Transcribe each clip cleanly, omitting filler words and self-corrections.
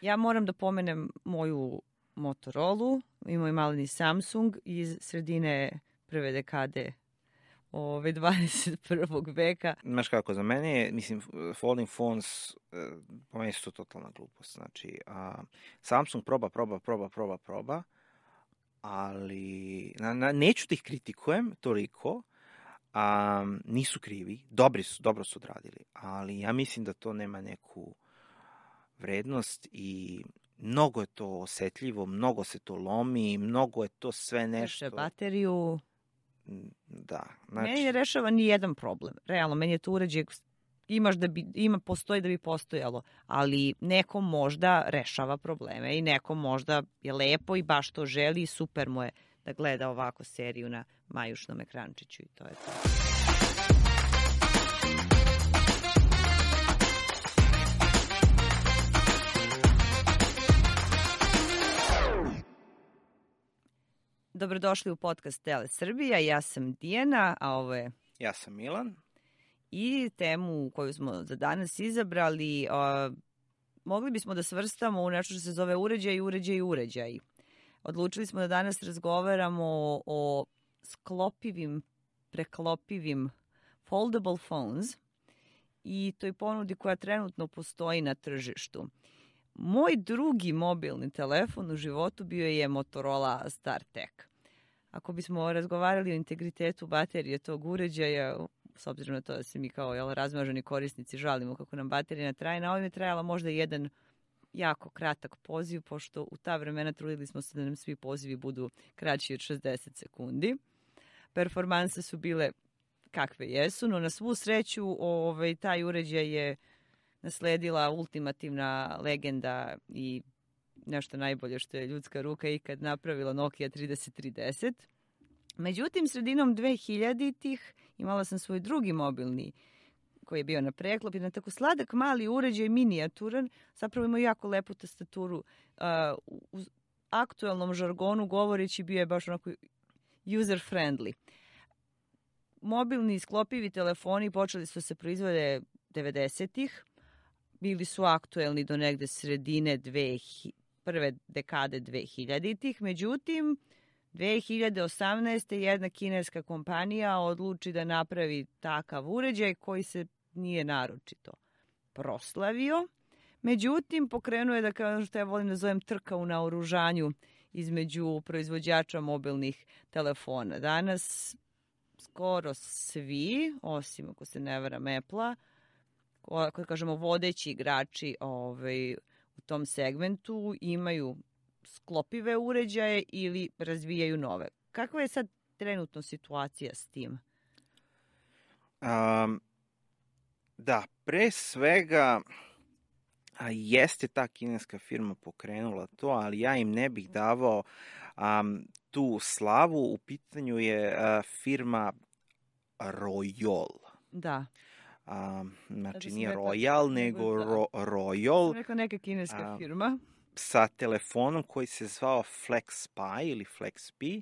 Ja moram da pomenem moju Motorola i moj maleni Samsung iz sredine prve dekade 21. veka. Znaš kako, za mene je, mislim, folding phones, po meni su to totalna glupost. Znači, Samsung proba, ali neću da ih kritikujem toliko, nisu krivi, dobro su odradili, ali ja mislim da to nema neku vrednost i mnogo je to osetljivo, mnogo se to lomi, mnogo je to sve nešto... Treše bateriju. Da, znači... Meni ne rešava ni jedan problem. Realno, meni je to uređaj postoji da bi postojalo, ali nekom možda rešava probleme i nekom možda je lepo i baš to želi i super mu je da gleda ovako seriju na majušnom ekrančiću i to je to. Dobrodošli u podcast Tele Srbija, ja sam Dijana, a ovo je... Ja sam Milan. I temu koju smo za danas izabrali, mogli bismo da svrstamo u nešto što se zove uređaj. Odlučili smo da danas razgovaramo o sklopivim, preklopivim foldable phones i toj ponudi koja trenutno postoji na tržištu. Moj drugi mobilni telefon u životu bio je Motorola StarTech. Ako bismo razgovarali o integritetu baterije tog uređaja, s obzirom na to da se mi kao razmaženi korisnici žalimo kako nam baterija ne traje, na ovim je trajala možda jedan jako kratak poziv, pošto u ta vremena trudili smo se da nam svi pozivi budu kraći od 60 sekundi. Performanse su bile kakve jesu, no na svu sreću taj uređaj je nasledila ultimativna legenda i nešto najbolje što je ljudska ruka ikad napravila, Nokia 3310. Međutim, sredinom 2000-ih imala sam svoj drugi mobilni koji je bio na preklop, jedan tako sladak mali uređaj, minijaturan, zapravo ima jako lepu tastaturu. U aktuelnom žargonu govoreći bio je baš onako user friendly. Mobilni sklopivi telefoni počeli su se proizvode 90-ih, bili su aktuelni do negde sredine prve dekade 2000-ih, međutim 2018. jedna kineska kompanija odluči da napravi takav uređaj koji se nije naročito proslavio. Međutim, pokrenuo je, da kao što ja volim da zovem, trka u naoružanju između proizvođača mobilnih telefona. Danas skoro svi, osim ako se ne varam Apple-a, kako kažemo vodeći igrači u tom segmentu imaju sklopive uređaje ili razvijaju nove. Kakva je sad trenutno situacija s tim? Da, pre svega jeste ta kineska firma pokrenula to, ali ja im ne bih davao tu slavu. U pitanju je firma Royol. Da. Znači nije Royal, nego Royol. Sam rekla neka kineska firma. Sa telefonom koji se zvao FlexPi ili FlexP,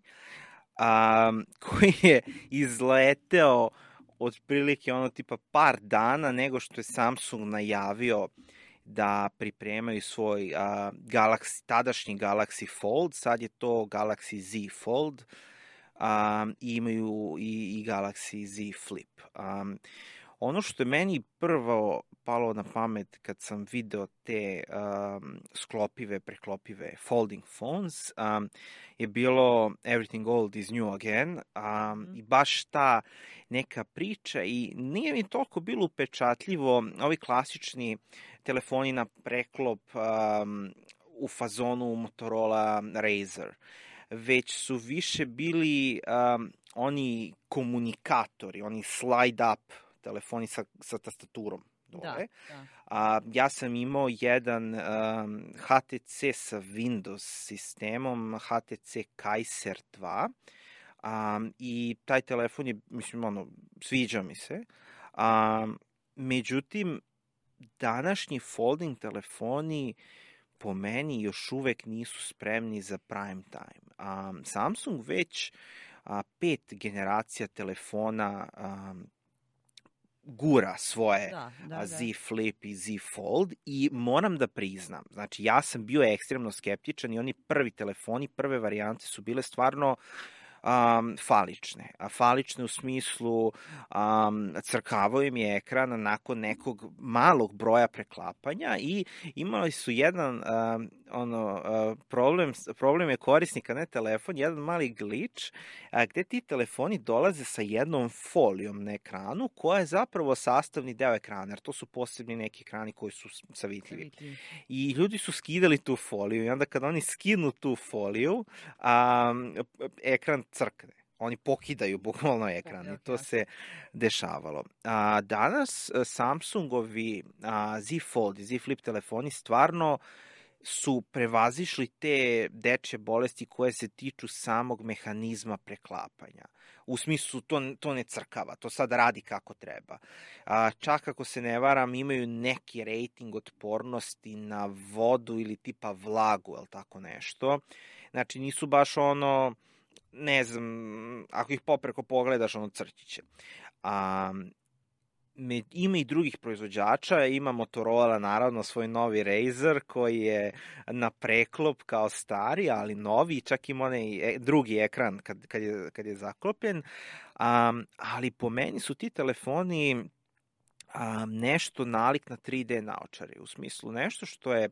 koji je izleteo otprilike tipa par dana nego što je Samsung najavio da pripremaju svoj tadašnji Galaxy Fold, sad je to Galaxy Z Fold, i imaju i Galaxy Z Flip. Ono što je meni prvo palo na pamet kad sam video te preklopive folding phones, je bilo Everything Old is New Again, i baš ta neka priča, i nije mi toliko bilo upečatljivo ovi klasični telefoni na preklop u fazonu Motorola Razr, već su više bili oni komunikatori, oni slide up telefoni sa tastaturom dole. Da. Ja sam imao jedan HTC sa Windows sistemom, HTC Kaiser 2, i taj telefon je, mislim, sviđa mi se. Međutim, današnji folding telefoni po meni još uvek nisu spremni za prime time. Samsung već 5 generacija telefona gura svoje Da. Z Flip i Z Fold i moram da priznam, znači ja sam bio ekstremno skeptičan i oni prvi telefoni, prve varijante su bile stvarno falične. A falične u smislu crkavao im je ekran nakon nekog malog broja preklapanja i imali su jedan problem je korisnika, ne telefon, jedan mali glitch gde ti telefoni dolaze sa jednom folijom na ekranu koja je zapravo sastavni deo ekrana, jer to su posebni neki ekrani koji su savitljivi. I ljudi su skidali tu foliju i onda kad oni skinu tu foliju, ekran crkne. Oni pokidaju bukvalno ekran i to se dešavalo. Danas Samsungovi Z Fold i Z Flip telefoni stvarno su prevazišli te dečje bolesti koje se tiču samog mehanizma preklapanja. U smislu, to ne crkava, to sad radi kako treba. Čak ako se ne varam, imaju neki rating otpornosti na vodu ili tipa vlagu, ili tako nešto. Znači, nisu baš ne znam, ako ih popreko pogledaš, crčiće. Ima i drugih proizvođača, ima Motorola naravno svoj novi Razr koji je na preklop kao stari, ali novi, čak ima onaj drugi ekran kad je zaklopljen, ali po meni su ti telefoni nešto nalik na 3D naočare, u smislu nešto što je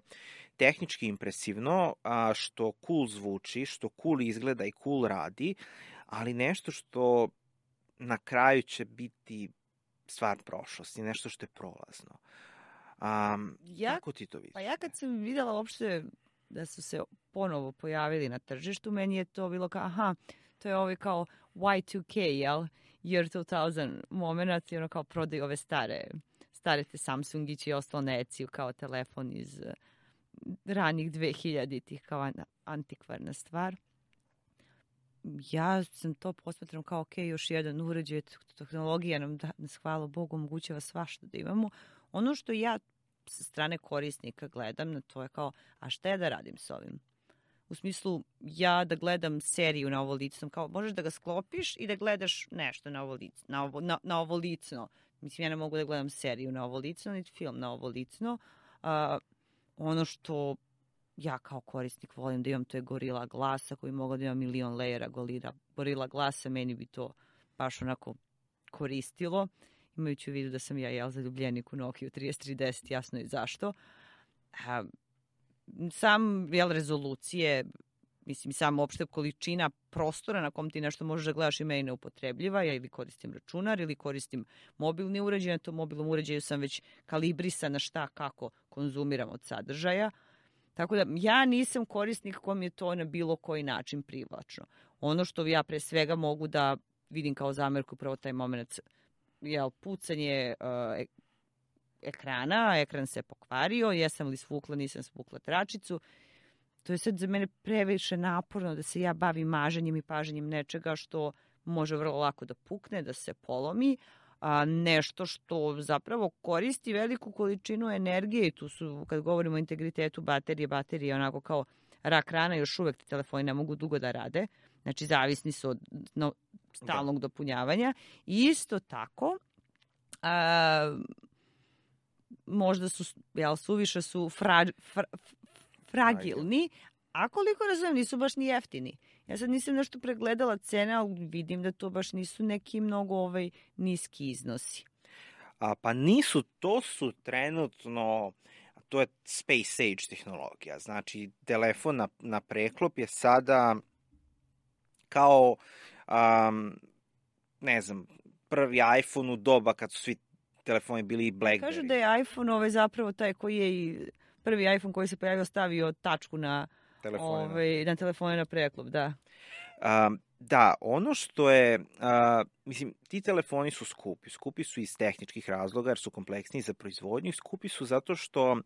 tehnički impresivno, što cool zvuči, što cool izgleda i cool radi, ali nešto što na kraju će biti stvar prošlosti, nešto što je prolazno. Kako ti to vidiš? Pa ja kad sam videla uopšte da su se ponovo pojavili na tržištu, meni je to bilo kao, to je ovaj kao Y2K, jel? Year 2000 moment, i ono kao prodaju ove stare te Samsungići i ostalo neciju kao telefon iz ranih 2000-ih, kao antikvarna stvar. Ja sam to posmatram kao još jedan uređaj, tehnologija nam nas, hvala Bogu, omogućava svašta da imamo. Ono što ja sa strane korisnika gledam na to je kao, a šta ja da radim s ovim? U smislu, ja da gledam seriju na ovolicnom, kao možeš da ga sklopiš i da gledaš nešto na ovolicno. Mislim, ja ne mogu da gledam seriju na ovolicno, niti film na ovolicno. Ono što ja kao korisnik volim da imam, to je Gorilla Glass, koji mogu da imam milion lejera Gorilla Glassa, meni bi to baš onako koristilo, imajući u vidu da sam ja zaljubljenik u Nokia 3310, jasno i zašto. Sam rezolucije, mislim, sam opšte količina prostora na kom ti nešto možeš da gledaš i meni neupotrebljiva, ja ili koristim računar ili koristim mobilni uređaj, na tom mobilnom uređaju sam već kalibrisana šta kako konzumiram od sadržaja. Tako da ja nisam korisnik kom je to na bilo koji način privlačno. Ono što ja pre svega mogu da vidim kao zamerku upravo taj moment, pucanje ekrana, ekran se pokvario, jesam li svukla, nisam svukla tračicu. To je sad za mene previše naporno da se ja bavim maženjem i paženjem nečega što može vrlo lako da pukne, da se polomi, nešto što zapravo koristi veliku količinu energije i tu su, kad govorimo o integritetu baterije onako kao rak rana, još uvek ti telefoni ne mogu dugo da rade, znači zavisni su od stalnog dopunjavanja. I isto tako, možda su, suviše su fragilni, a koliko razumijem, nisu baš ni jeftini. Ja sad nisam nešto pregledala cene, ali vidim da to baš nisu neki mnogo niski iznosi. Pa nisu, to su trenutno, to je Space Age tehnologija. Znači, telefon na preklop je sada kao, ne znam, prvi iPhone u doba kad su svi telefoni bili i BlackBerry. Kažu da je iPhone zapravo taj koji je i prvi iPhone koji se pojavio stavio tačku na telefone na preklop, da. Da, ono što je, mislim, ti telefoni su skupi. Skupi su iz tehničkih razloga jer su kompleksniji za proizvodnju i skupi su zato što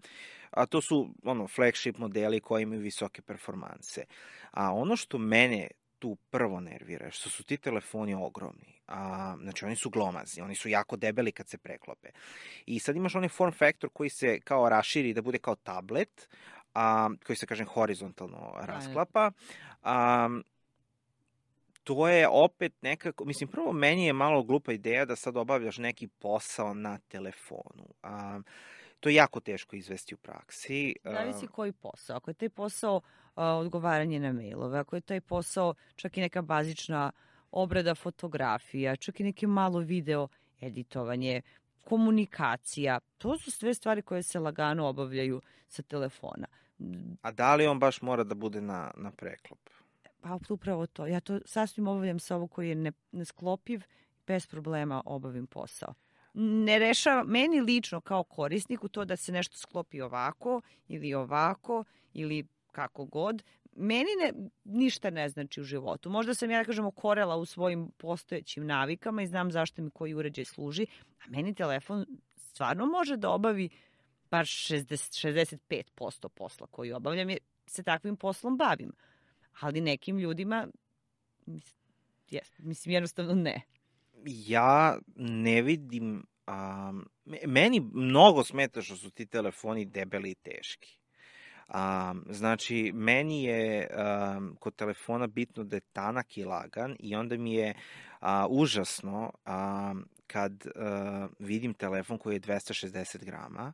to su flagship modeli koji imaju visoke performanse. A ono što mene tu prvo nervira, što su ti telefoni ogromni. Znači, oni su glomazni, oni su jako debeli kad se preklope. I sad imaš onaj form factor koji se kao raširi da bude kao tablet, koji se, kažem, horizontalno rasklapa. to je opet nekako, mislim, prvo meni je malo glupa ideja da sad obavljaš neki posao na telefonu. To je jako teško izvesti u praksi. Zavisi koji posao. Ako je taj posao odgovaranje na mailove, ako je taj posao čak i neka bazična obrada fotografija, čak i neki malo video editovanje, komunikacija, to su sve stvari koje se lagano obavljaju sa telefona. A da li on baš mora da bude na preklop? Pa upravo to. Ja to sasvim obavljam sa ovo koji je nesklopiv, bez problema obavim posao. Ne rešava, meni lično kao korisniku to da se nešto sklopi ovako ili kako god, meni ništa ne znači u životu. Možda sam ja, da kažem, okorela u svojim postojećim navikama i znam zašto mi koji uređaj služi, a meni telefon stvarno može da obavi bar 65% posla koji obavljam, jer se takvim poslom bavim. Ali nekim ljudima, mislim, jednostavno ne. Ja ne vidim, meni mnogo smeta što su ti telefoni debeli i teški. Znači, meni je kod telefona bitno da je tanak i lagan i onda mi je užasno kad vidim telefon koji je 260 grama.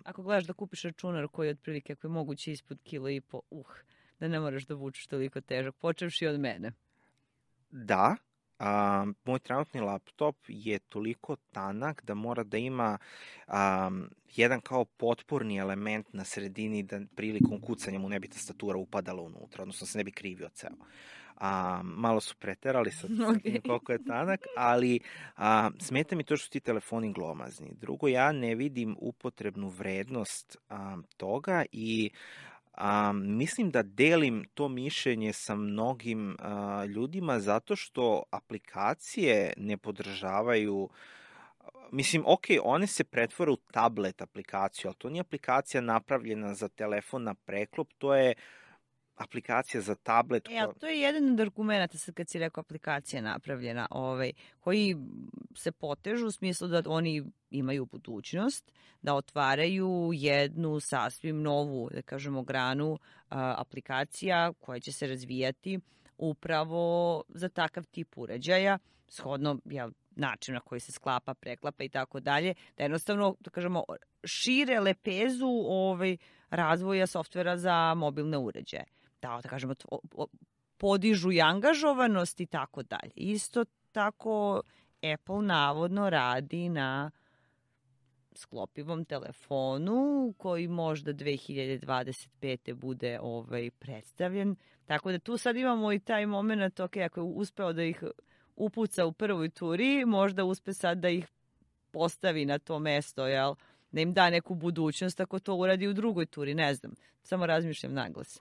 Ako gledaš da kupiš računar koji je otprilike ako je moguće ispod kilo i po, da ne moraš da vučeš toliko težak, počevši od mene. Da, moj trenutni laptop je toliko tanak da mora da ima jedan kao potporni element na sredini da prilikom kucanja mu ne bi tastatura upadala unutra, odnosno se ne bi krivio ceo. Malo su preterali sa tim koliko je tanak, ali smeta mi to što su ti telefoni glomazni. Drugo, ja ne vidim upotrebnu vrednost toga i mislim da delim to mišljenje sa mnogim ljudima zato što aplikacije ne podržavaju, mislim, ok, one se pretvore u tablet aplikaciju, ali to nije aplikacija napravljena za telefon na preklop, to je aplikacija za tablet. To je jedan od argumenta, sad kad si rekao aplikacija napravljena, koji se potežu u smislu da oni imaju budućnost, da otvaraju jednu sasvim novu, da kažemo, granu aplikacija koja će se razvijati upravo za takav tip uređaja, shodno način na koji se sklapa, preklapa i tako dalje, da jednostavno, da kažemo, šire lepezu razvoja softvera za mobilne uređaje. Da kažemo, podižu i angažovanost i tako dalje. Isto tako Apple navodno radi na sklopivom telefonu koji možda 2025. bude predstavljen. Tako da tu sad imamo i taj moment, ok, ako je uspeo da ih upuca u prvoj turi, možda uspe sad da ih postavi na to mesto, jel? Da im da neku budućnost ako to uradi u drugoj turi, ne znam. Samo razmišljam naglas.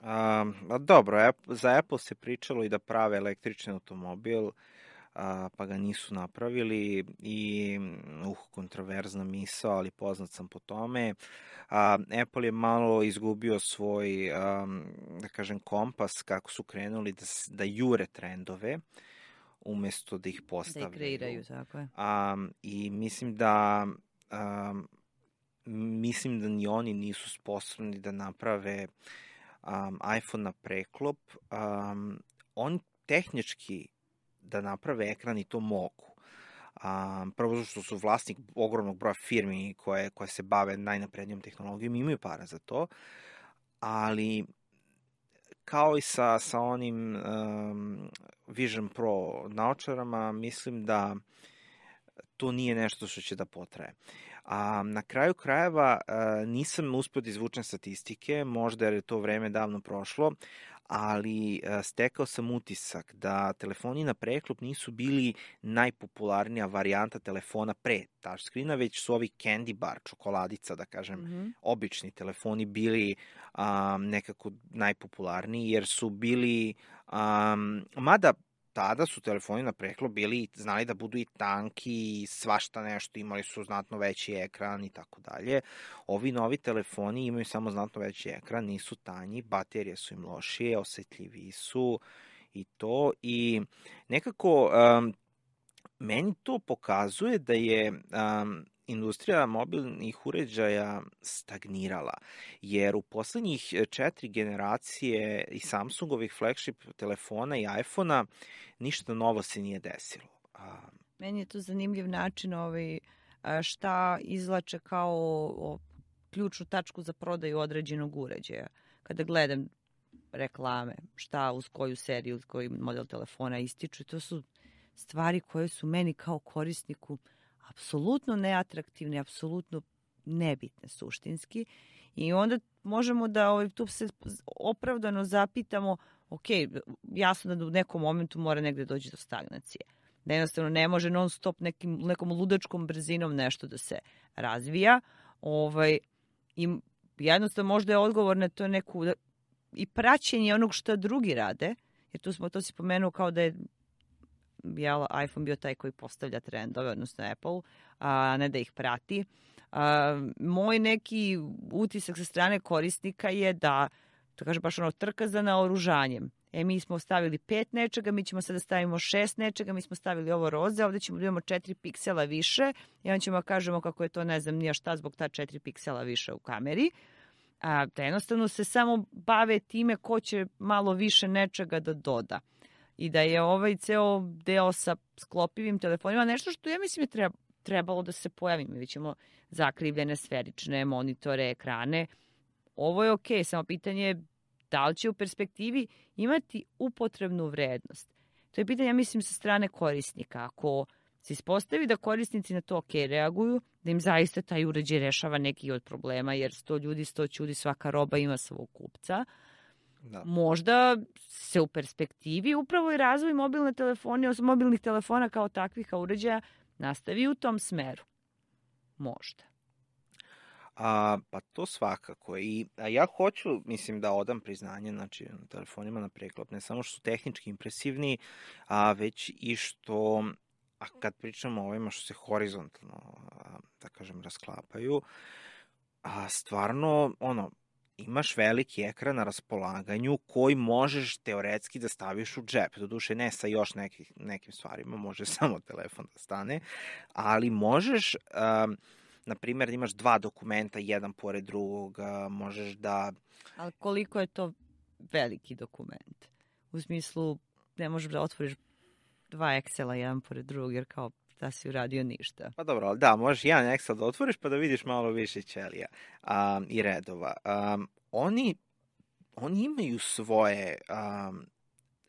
Dobro, za Apple se pričalo i da prave električni automobil, pa ga nisu napravili i kontroverzna misao, ali poznat sam po tome. Apple je malo izgubio svoj, da kažem, kompas kako su krenuli da jure trendove umesto da ih postavljaju. Da ih kreiraju, tako je. I mislim da ni oni nisu sposobni da naprave iPhone na preklop. Oni tehnički da naprave ekran i to mogu. Prvo što su vlasnik ogromnog broja firmi koje se bave najnaprednijom tehnologijom, imaju para za to, ali kao i sa onim Vision Pro naočarama, mislim da to nije nešto što će da potraje. Na kraju krajeva nisam uspio da izvučem statistike, možda jer je to vreme davno prošlo, ali stekao sam utisak da telefoni na preklop nisu bili najpopularnija varijanta telefona pre touchscreena, već su ovi candy bar, čokoladica, da kažem, obični telefoni bili nekako najpopularniji, jer su bili, mada tada su telefoni na preklop znali da budu i tanki i svašta nešto, imali su znatno veći ekran i tako dalje. Ovi novi telefoni imaju samo znatno veći ekran, nisu tanji, baterije su im lošije, osetljiviji su i to. I nekako meni to pokazuje da je industrija mobilnih uređaja stagnirala, jer u poslednjih 4 generacije i Samsungovih flagship telefona i iPhona ništa novo se nije desilo. Meni je to zanimljiv način šta izlače kao ključnu tačku za prodaju određenog uređaja. Kada gledam reklame, šta uz koju seriju, uz koji model telefona ističu, to su stvari koje su meni kao korisniku apsolutno neatraktivne, apsolutno nebitne suštinski. I onda možemo da tu se opravdano zapitamo, ok, jasno da u nekom momentu mora negde doći do stagnacije. Da jednostavno ne može non stop nekom ludačkom brzinom nešto da se razvija. I jednostavno možda je odgovor na to i praćenje onog što drugi rade, jer to si pomenuo kao da je iPhone bio taj koji postavlja trendove, odnosno Apple, a ne da ih prati. Moj neki utisak sa strane korisnika je da kaže baš trka za naoružanjem. Mi smo stavili 5 nečega, mi ćemo sada stavimo 6 nečega, mi smo stavili ovo roze, ovde ćemo da imamo 4 piksela više i onda ćemo kažemo kako je to ne znam nija šta zbog ta 4 piksela više u kameri. Da jednostavno se samo bave time ko će malo više nečega da doda. I da je ceo deo sa sklopivim telefonima nešto što ja mislim je trebalo da se pojavi. Mi ćemo zakrivljene sferične monitore, ekrane. Ovo je okej, samo pitanje je da li će u perspektivi imati upotrebnu vrednost. To je pitanje, ja mislim, sa strane korisnika. Ako se ispostavi da korisnici na to reaguju, da im zaista taj uređaj rešava neki od problema, jer 100 ljudi, 100 ćudi, svaka roba ima svog kupca, da. Možda se u perspektivi upravo i razvoj mobilne telefonije, mobilnih telefona kao takvih uređaja nastavi u tom smeru. Možda. Pa to svakako. I ja hoću, mislim, da odam priznanje telefonima na preklop, ne samo što su tehnički impresivni, već i što, kad pričamo o ovima što se horizontalno, da kažem, rasklapaju, stvarno, imaš veliki ekran na raspolaganju koji možeš teoretski da staviš u džep. Doduše ne sa još nekim stvarima, može samo telefon da stane, ali možeš, na primjer, imaš 2 dokumenta, jedan pored drugog, možeš da... Ali koliko je to veliki dokument? U smislu, ne možeš da otvoriš 2 Excela jedan pored drugog, jer kao da si uradio ništa. Pa dobro, ali da, možeš jedan Excel da otvoriš pa da vidiš malo više ćelija i redova. Oni imaju svoje,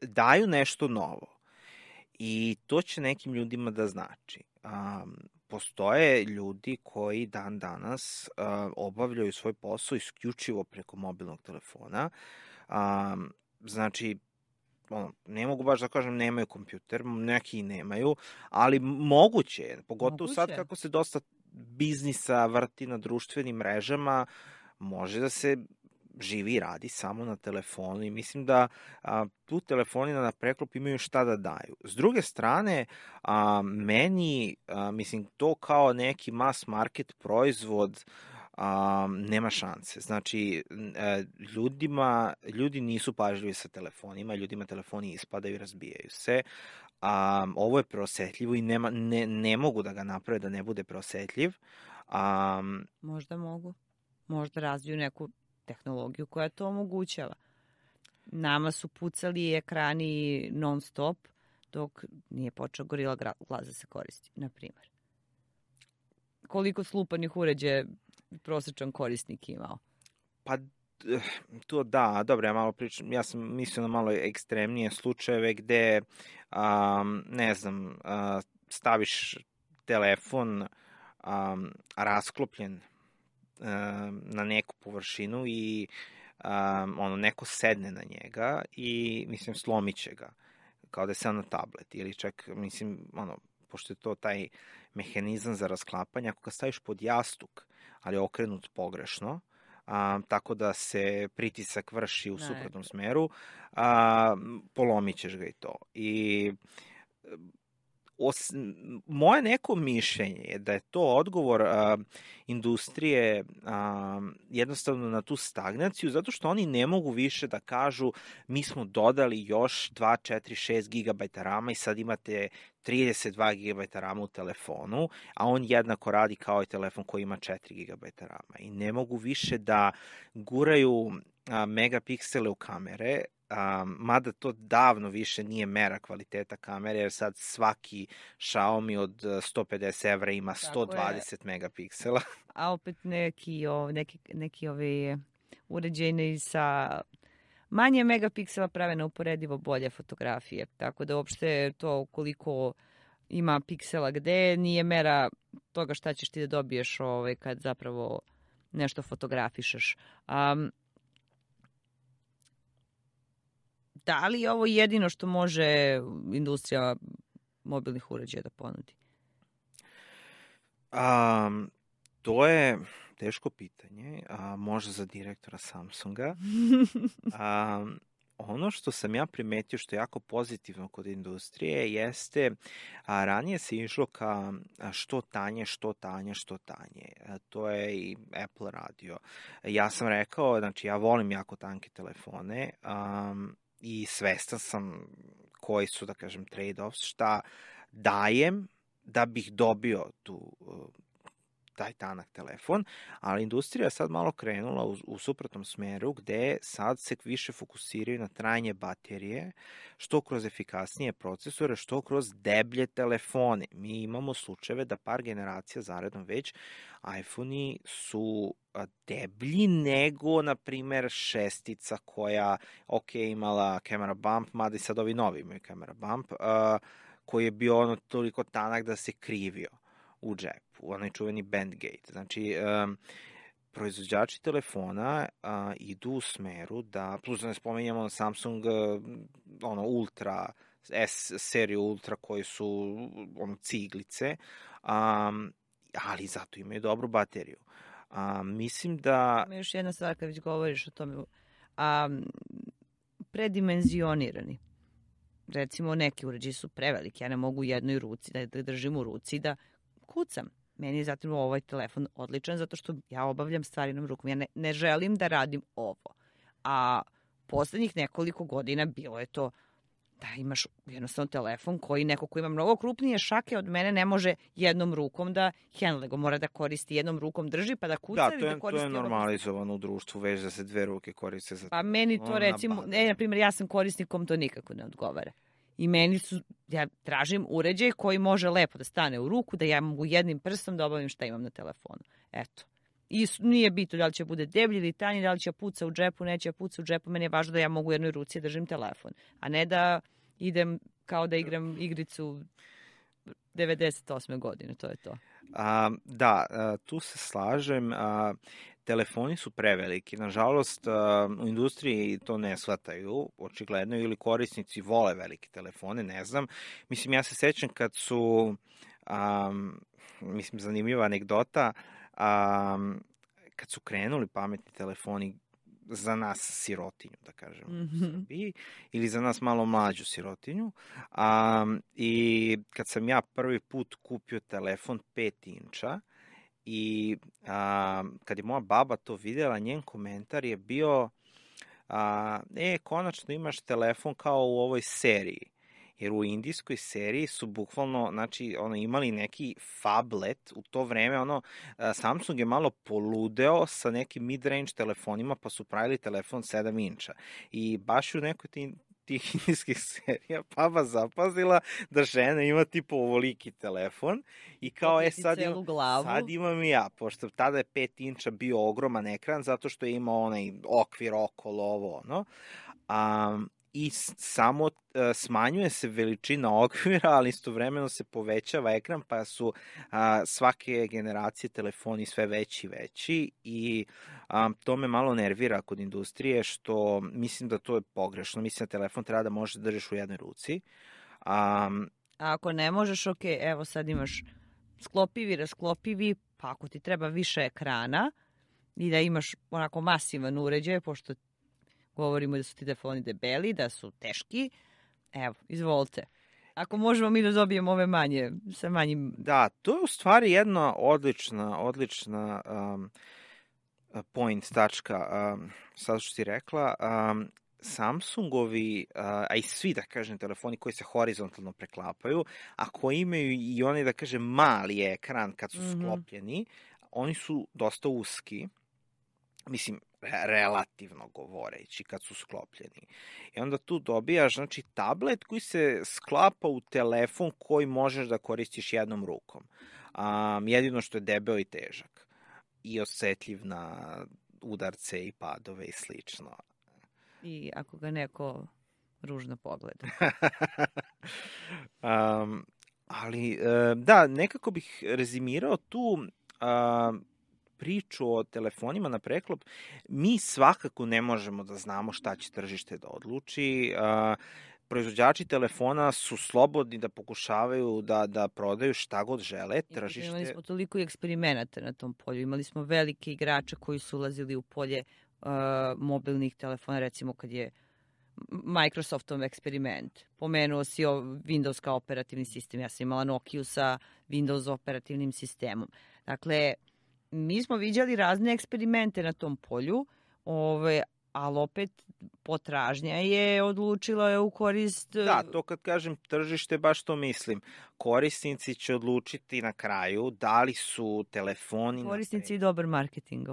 daju nešto novo i to će nekim ljudima da znači. Postoje ljudi koji dan danas obavljaju svoj posao isključivo preko mobilnog telefona. Znači, ne mogu baš da kažem nemaju kompjuter, neki i nemaju, ali moguće je, pogotovo sad kako se dosta biznisa vrti na društvenim mrežama, može da se živi i radi samo na telefonu i mislim da tu telefoni na preklop imaju šta da daju. S druge strane, meni, mislim, to kao neki mass market proizvod nema šanse. Znači, ljudi nisu pažljivi sa telefonima, ljudima telefoni ispadaju i razbijaju se. Ovo je preosetljivo i ne mogu da ga naprave da ne bude preosetljiv. Možda mogu. Možda razviju neku tehnologiju koja to omogućava. Nama su pucali ekrani non stop dok nije počeo Gorilla Glass da se koristi, na primjer. Koliko slupanih uređaja prosječan korisnik imao? Pa to da, dobro, ja sam mislio na malo ekstremnije slučajeve gde, ne znam, staviš telefon rasklopljen na neku površinu i neko sedne na njega i, mislim, slomit će ga, kao da je sam na tablet ili čak, mislim, pošto je to taj mehanizam za rasklapanje, ako ga staviš pod jastuk, ali okrenut pogrešno, tako da se pritisak vrši u suprotnom smeru, polomit ćeš ga i to. I moje neko mišljenje je da je to odgovor industrije jednostavno na tu stagnaciju, zato što oni ne mogu više da kažu mi smo dodali još 2, 4, 6 GB rama i sad imate 32 GB rama u telefonu, a on jednako radi kao i telefon koji ima 4 GB rama. I ne mogu više da guraju megapiksele u kamere, mada to davno više nije mera kvaliteta kamere, jer sad svaki Xiaomi od 150 evra ima 120 megapiksela. A opet neki ovi uređeni sa manje megapiksela prave neuporedivo bolje fotografije. Tako da uopšte to koliko ima piksela gde nije mera toga šta ćeš ti da dobiješ kad zapravo nešto fotografišeš. Da li je ovo jedino što može industrija mobilnih uređaja da ponudi? To je teško pitanje, možda za direktora Samsunga. Ono što sam ja primetio što je jako pozitivno kod industrije jeste ranije se išlo ka što tanje. To je i Apple radio. Ja sam rekao, znači ja volim jako tanke telefone i svestan sam koji su, da kažem, trade-offs, šta dajem da bih dobio taj tanak telefon, ali industrija je sad malo krenula u suprotnom smeru gde sad se više fokusiraju na trajanje baterije, što kroz efikasnije procesore, što kroz deblje telefone. Mi imamo slučajeve da par generacija zaredom već iPhone-i su deblji nego, na primer, 6 koja, imala camera bump, mada i sad ovi novi imaju camera bump, koji je bio toliko tanak da se krivio u džepu, onaj čuveni Bandgate. Znači, proizvođači telefona idu u smeru da, plus da ne spomenjamo Samsung Ultra, S seriju Ultra koji su ciglice, ali zato imaju dobru bateriju. Mislim da... Ima još jedna stvar kad već govoriš o tome, predimenzionirani. Recimo, neki uređaji su preveliki, ja ne mogu u jednoj ruci da držim u ruci da kucam. Meni je zatim ovaj telefon odličan zato što ja obavljam stvari na rukom. Ja ne želim da radim ovo. A poslednjih nekoliko godina bilo je to da imaš jednostavno telefon koji neko ko ima mnogo krupnije šake od mene ne može jednom rukom da handle go, mora da koristi jednom rukom drži pa da kuca ili da koristi... Da, to je normalizovano u društvu, već da se dve ruke koriste za... Pa meni to recimo, na primjer, ja sam korisnikom, to nikako ne odgovara. I ja tražim uređaj koji može lepo da stane u ruku, da ja mogu jednim prstom da obavim šta imam na telefonu. Eto. I nije bitno da li će bude deblji ili tanji, da li će puca u džepu, neće puca u džepu. Meni je važno da ja mogu u jednoj ruci držim telefon, a ne da idem kao da igram igricu 98. godine, to je to. Da, tu se slažem. Telefoni su preveliki. Nažalost, u industriji to ne shvataju, očigledno, ili korisnici vole velike telefone, ne znam. Mislim, ja se sećam kad su, zanimljiva anegdota, kad su krenuli pametni telefoni za nas sirotinju, da kažem, u Srbiji, ili za nas malo mlađu sirotinju. I kad sam ja prvi put kupio telefon 5 inča, i kad je moja baba to videla, njen komentar je bio konačno imaš telefon kao u ovoj seriji. Jer u indijskoj seriji su bukvalno, znači, imali neki phablet u to vreme, Samsung je malo poludeo sa nekim mid-range telefonima, pa su pravili telefon 7 inča. I baš u nekoj tih indijskih serija baba zapazila da žena ima tipo ovoliki telefon i kao sad imam i ja, pošto tada je 5 inča bio ogroman ekran zato što je imao onaj okvir okolo ovo, i samo smanjuje se veličina okvira, ali istovremeno se povećava ekran, pa su svake generacije telefoni sve veći i veći i to me malo nervira kod industrije, što mislim da to je pogrešno. Mislim da telefon treba da možeš da držiš u jednoj ruci. A ako ne možeš, evo sad imaš sklopivi, rasklopivi, pa ako ti treba više ekrana i da imaš onako masivan uređaj, pošto govorimo da su ti telefoni debeli, da su teški. Evo, izvolite. Ako možemo mi da dobijemo ove manje, sa manjim... Da, to je u stvari jedna odlična point tačka, sad što si rekla, Samsungovi, a i svi, da kažem, telefoni koji se horizontalno preklapaju, a koji imaju i onaj, da kažem, mali ekran kad su sklopljeni, oni su dosta uski, mislim, relativno govoreći kad su sklopljeni. I onda tu dobijaš, znači, tablet koji se sklapa u telefon koji možeš da koristiš jednom rukom. Jedino što je debeo i težak. I osetljiv na udarce i padove i slično. I ako ga neko ružno pogleda. Ali, da, nekako bih rezimirao tu priču o telefonima na preklop. Mi svakako ne možemo da znamo šta će tržište da odluči. Proizvođači telefona su slobodni da pokušavaju da prodaju šta god žele. Tržište... Imali smo toliko i eksperimenata na tom polju. Imali smo velike igrače koji su ulazili u polje mobilnih telefona, recimo kad je Microsoftov eksperiment. Pomenuo si Windows kao operativni sistem. Ja sam imala Nokiju sa Windows operativnim sistemom. Dakle, mi smo viđali razne eksperimente na tom polju, ali opet potražnja je odlučila u korist... Da, to kad kažem tržište, baš to mislim. Korisnici će odlučiti na kraju da li su telefoni... Korisnici i dobar marketing.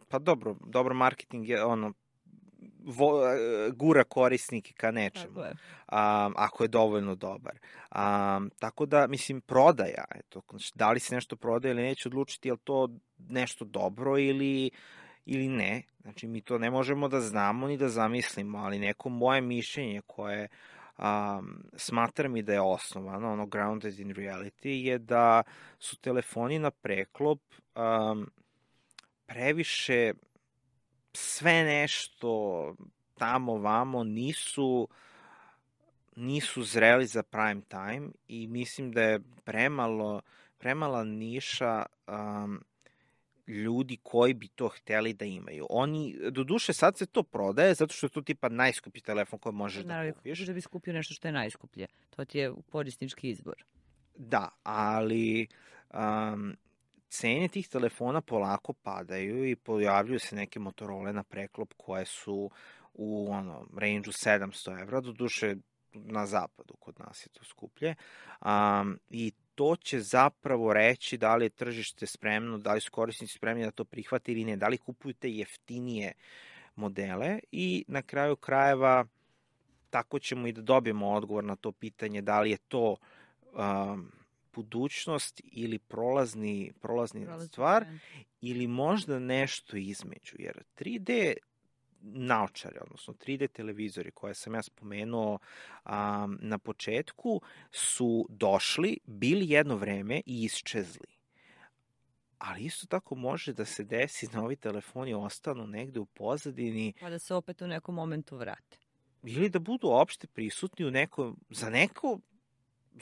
Pa dobar marketing je gura korisnike ka nečemu. Tako je. Ako je dovoljno dobar. Tako da, mislim, prodaja. Eto, da li se nešto prodaje ili neće odlučiti, je li to nešto dobro ili ne. Znači, mi to ne možemo da znamo ni da zamislimo, ali neko moje mišljenje koje smatram i da je osnovano, grounded in reality, je da su telefoni na preklop previše sve nešto tamo vamo nisu zreli za prime time i mislim da je premala niša ljudi koji bi to hteli da imaju. Doduše, sad se to prodaje zato što je to tipa najskuplji telefon koji možeš da kupiš. Da bi skupio nešto što je najskuplje. To ti je korisnički izbor. Da, ali cene tih telefona polako padaju i pojavljuju se neke Motorola na preklop koje su u range-u 700 evra, doduše na zapadu, kod nas je to skuplje. I to će zapravo reći da li je tržište spremno, da li su korisnici spremni da to prihvate ili ne, da li kupuju te jeftinije modele i na kraju krajeva tako ćemo i da dobijemo odgovor na to pitanje da li je to budućnost ili prolazni stvar ili možda nešto između, jer 3D naočare, odnosno 3D televizori koje sam ja spomenuo na početku su došli, bili jedno vreme i isčezli. Ali isto tako može da se desi da ovi telefoni ostanu negde u pozadini. Pa da se opet u nekom momentu vrate. Ili da budu opšte prisutni za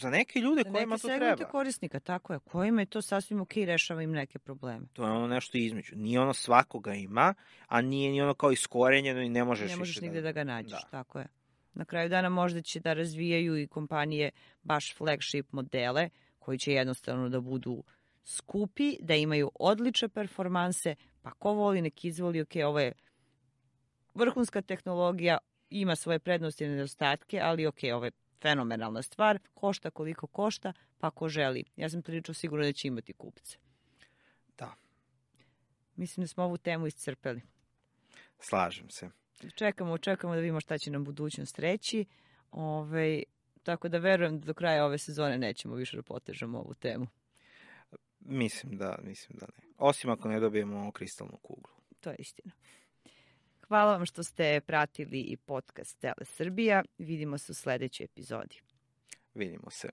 neke ljude kojima to treba. Za neke segmente korisnika, tako je. Kojima je to sasvim okej, rešava im neke probleme. To je nešto između. Nije svakoga ima, a nije ni kao iskorenjeno i ne možeš nigde da ga nađeš, tako je. Na kraju dana možda će da razvijaju i kompanije baš flagship modele, koji će jednostavno da budu skupi, da imaju odlične performanse, pa ko voli nek izvoli, ovo je vrhunska tehnologija, ima svoje prednosti i nedostatke, ali ovo je fenomenalna stvar, košta koliko košta, pa ko želi. Ja sam prilično sigurna da će imati kupce. Da. Mislim da smo ovu temu iscrpeli. Slažem se. Čekamo da vidimo šta će nam budućnost reći. Tako da verujem da do kraja ove sezone nećemo više da potežemo ovu temu. Mislim da ne. Osim ako ne dobijemo kristalnu kuglu. To je istina. Hvala vam što ste pratili i podcast Tele Srbija. Vidimo se u sledećoj epizodi. Vidimo se.